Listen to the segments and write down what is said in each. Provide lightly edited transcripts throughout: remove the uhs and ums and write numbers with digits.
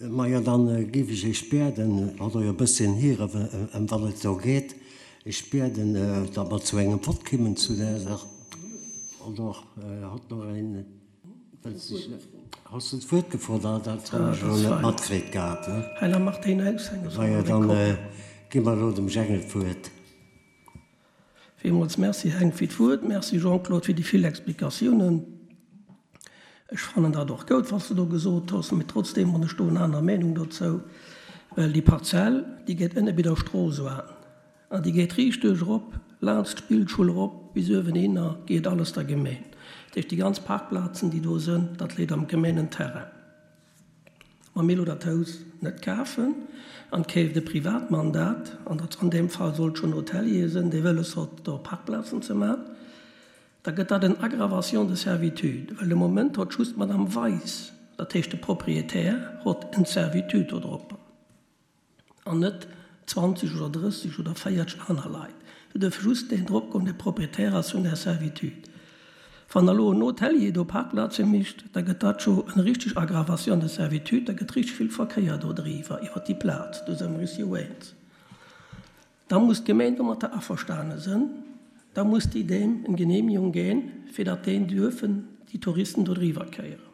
Majo, dann géif ech Iech bieden, hat Der jo e bësschen hier, ëm wat et do geet, ech bieden, datt mer zu engem Vott kimmen zu där Saach. Oder hat nach een wëllt sech? Has de d'Wuert gefrot? Ah, dat hunn ech elo net matkritt gehat. Majo, dann gi mer elo dem Jengel d'Wuert. Villmools Merci, Heng, fir d'Wuert. Merci, Jean-Claude, fir déi vill Explikatiounen. Ech fannen dat och goud, wat s de do gesot hues, mee trotzdeem hunn ech do en aner Meenung dozou, well déi Parzell, déi geet ënne bei der Strooss oan an déi geet riicht duerch erop, laanscht d'Spillschull erop bis uewenhinner, geet alles der Gemeen. Dat heescht, déi ganz Parkplazen, déi do sënn, dat leet am Gemeenenterrain. Wa mir elo dat Haus net kafen an et keeft e Privatmann dat, an dat an deem Fall sollt schonn Hotelier sënn, dee wëlles hott do Parkplazen ze man, da gëtt dat en Aggravation de servitude, well de Moment hott just d'Madame Weis, dat heescht de Propriétaire, hott en Servitude dodropper. An net 20 oder 30 oder 40 aner Leit. Do duerf just deen drop goen, dee Proprietär ass vun där Servitude. Wann elo en Hotelier do Parkplaze mécht, da gëtt dat scho eng richteg Aggravation de servitude, da gëtt richteg vill Verkéier do driwwer iwwer déi Plaz. Do si mer eis jo eens. Da muss d'Gemeng domatter averstane sënn, da muss déi deem eng Genehmigung ginn, fir datt deen duerfen déi Touristen do driwwer kéieren.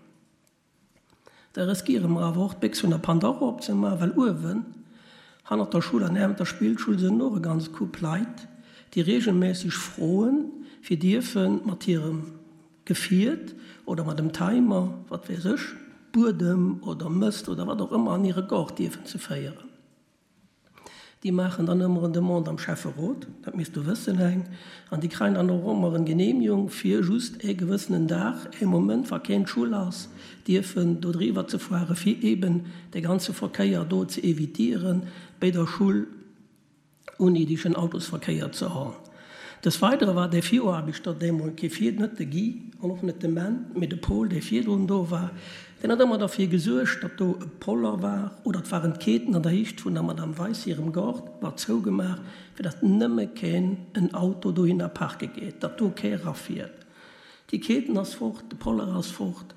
Da riskiere mer awer och, d'Béchs vun der Pandora opzemaachen, well uewen, hannert der Schull an niewent der Spillschull, sënn och e ganz Koup Leit, déi regelmässeg froen, fir dierfe mat hirem Gefiert oder mat em Timer, wat weess ech, Buedem oder Mëst oder wat och ëmmer an hire Gaart dierfen ze féieren. Déi maachen dann ëmmer en Demande am Schäfferot, dat misst du wëssen, Heng, an déi kreien dann och ëmmer en Genehmigung, fir just ee gewëssenen Dag, ee Moment, wa keen Schull ass, dierfen do driwwer ze fuere, fir eeben dee ganze Verkéier do ze évitieren, béi der Schull unnidegen Autosverkéier ze hon. Des Weidere war dee Viraarbechter deemol kee vir, net de Guy an och net de Menn, mee de Paul, dee virdrun do war, deen huet ëmmer derfir gesuergt, datt do e Poller war oder et waren d'Keeten an der Hicht vun der Madame Weis hirem Gaart, war zougemaach, fir datt nëmme keen en Auto dohinner parke geet, datt do kee rafiert. Déi Keeten ass fort, de Poller ass fort.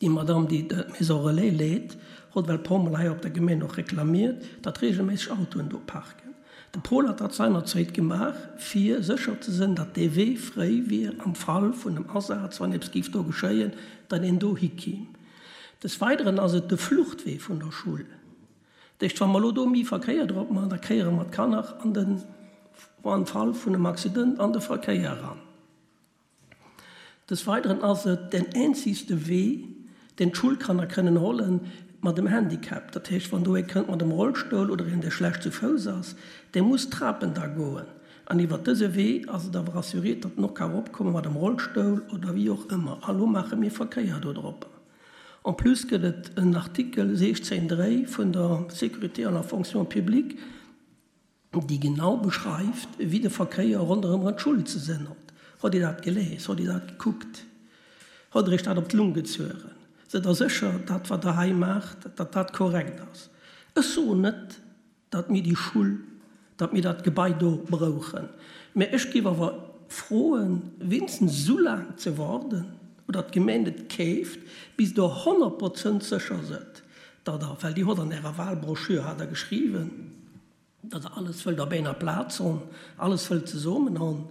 Déi Madame, déi d'Maison Relais leet, hott well puermol hei op der Gemeen och reklamiert, datt regelméisseg Autoen do parken. De Paul hat dat seinerzéit gemaach, fir sécher ze sënn, datt dee Wee fréi wier am Fall vun em Asaz, wann eppes géif do geschéien, datt een do hikiim. Des Weideren ass et de Fluchtwee vun der Schull. Dat heescht, wa mer elo do méi Verkéier drop maachen, da kéiere mer d'Kanner an den, am Fall vun em Accident, an de Verkéier eran. Des Weideren ass et den eenzegste Wee, deen d'Schulkanner kënnen hollen mat dem Handicap. Dat heescht, wann do ee kënnt mat em Rollstull oder een, dee schlecht zu Fouss ass, dee muss d'Trapen da goen. An iwwert dëse Wee ass et awer assuréiert, datt en och ka eropkomme mat em Rollstull oder wéi och ëmmer. A lo maache mir Verkéier do drop. En plus gëtt et en Artikel 16, 3 vun der Sécurité en la fonction publique, déi genau beschreift, wéi de Verkéier ronderëm d'Schull ze sinn hott. Hott Dir dat gelees? Hott Dir dat gekuckt? Hott Der Iech dat op d'Lung gezueren? Sidd Der sécher, dat wat Der hei maacht, datt dat korrekt ass? Ech soen net, datt mir déi Schull, datt mir dat Gebai do brouchen, mä ech géif awer froen, wéinstens esou laang ze warden, oder d'Gemeng et keeft, bis Der 100 Prozent sécher sidd, datt Der, well Dir hott an Ärer Wahlbroschür, hat Der geschriwwen, datt Der alles wëllt op enger Plaz hon, alles wëllt zesummen hon,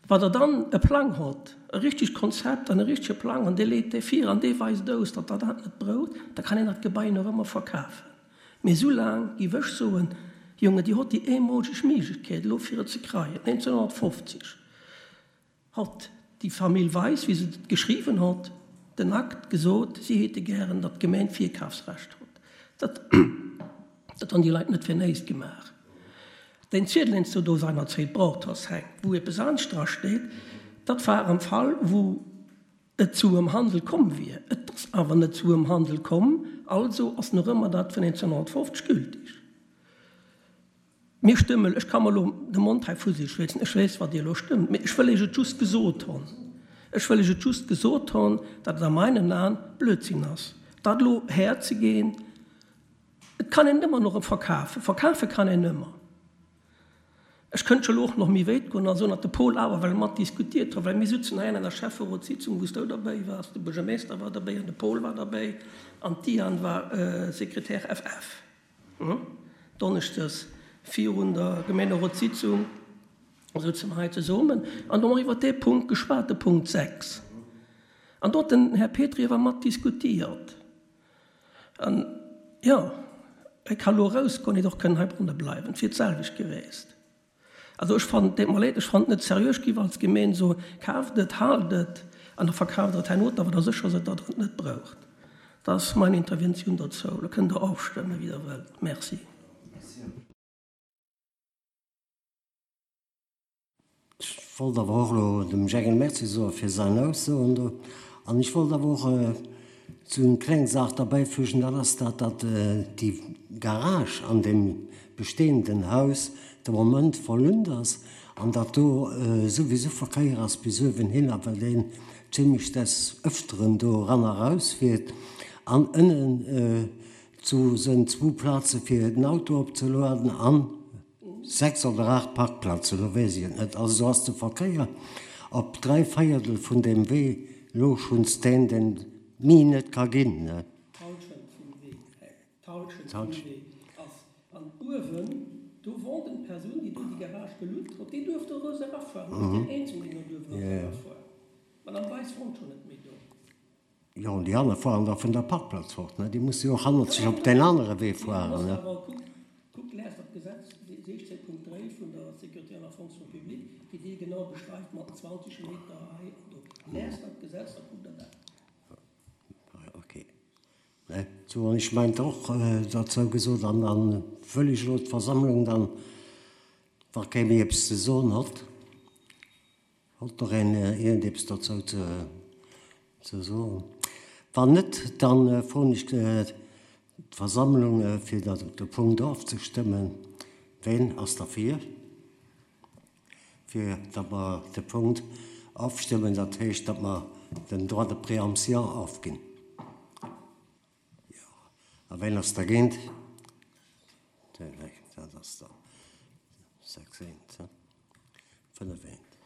wa Der dann e Plang hott, e richtegt Konzept an e richtege Plang, an dee leet dee vir an dee weist aus, datt Der dat net broucht, da kann een dat Gebai nach ëmmer verkafen. Mee esou laang giff ech soen, Jongen, Dir hott déi eemolgeg Méiglechkeet elo fir et ze kreien, 1950. Hott déi Famill Weis, wéi se et geschriwwen hott, den Akt gesot, si hete gären, datt d'Gemeng d'Virkafsrecht hott. Dat dat han déi Leit net fir néist gemaach. Deen Ziedel, deen s du do seinerzéit braucht hoss, Heng, wou eppes anescht dra steet, dat war am Fall, wou et zu em Handel komm wier. Et ass awer net zu em Handel komm, also ass nach ëmmer dat vun 1950 gültig. Mir stëmmen, ech ka mer elo de Mond hei futti schwätzen, ech weess, wat Dir elo stëmmt, mee ech wëll Iech et just gesot hon, ech wëll Iech et just gesot hon, datt et a meinen Aen Blödsinn ass, dat elo herzegeen. Et kann een et ëmmer nach erëm verkafen, verkafe kann een ëmmer. Ech kënnt scho lo och nach méi wéit goen a soen, datt de Paul awer well mat diskutiert huet, well mir sutzen hei an enger Schäfferotssitzung, wou s du derbäi waars, de Buergermeester war derbäi an de Paul war derbäi an d'Diane war Sekretär FF. Donneschdes virun der Gemeenerotssitzung souze mer hei zesummen an do hu mer iwwert dee Punkt geschwat, de Punkt 6. An do huet den Här Petry awer mat diskutiert. An, jo, e ka lo erausgoen, hätt och kënnen heibronne bleiwen, et wier d'selwecht geweest. Also ech fannen, et deet mer leed, ech fannen et net seriö. Ech géif als Gemeen soen, kaaft et, haalt et an da verkaaft der et herno, da wa der sécher sidd, datt der et net braucht. Dat ass mein Interventioun dozou. Lo kënnt der ofstëmmen, wéi der wëllt. Merci. Ech wollt awer och elo dem Jengel Merci soe fir säin Aussoen do. An ech wollt awer och sou eng kleng Saach derbäifügen, dat ass dat, datt déi Garage an deem bestehenden Haus de Moment verlunnt ass an datt do souwisou Verkéier ass bis uewen hinner, well deen zimlech des Öfteren do eran a raus fiert. An ënnen do sënn zwou Plaze fir den Auto opzelueden an 6 oder 8 Parkplazen, elo weess ech et net. Also do ass de Verkéier op 3 Véiertel vun deem Wee elo schonns deen, deen ni net ka ginn. D'Halschent vum Wee, d'Halschent vum Wee ass an uewen, do wor den Persoun, déi do déi Garage gelutt huet, déi duerft do erous erafueren. Dat ass deen eenzegen, deen do duerf erous erafueren. D'Madame Weis wonnt schonn net méi do. Jo, an déi aner fueren da vun der Parkplaz fort, ne? Déi musse jo och hannerzeg op deen anere Wee fueren, ne? Kuckt, lest dat Gesetz 16.3 vun der Sécurité an der Fonction publique, déi déi genau beschreift mat den 20 Meter hei an do. Lest dat Gesetz, da kuckt Der dat. Ok. Ne? Sou, an ech mengt och derzou gesot, an da wëll ech elo d'Versammlung dann, wa kee méi eppes ze soen hott, Hott nach een iergendeppes dozou ze soen? Wann net, da froen ech d'Versammlung, fir de Punkt ofzestëmmen. Ween ass derfir, fir datt mer de Punkt ofstëmmen, dat heescht, datt mer den Droit de préemption ofginn? Jo. A ween ass dergéint? Dat ass da 6, eent, 5, eent.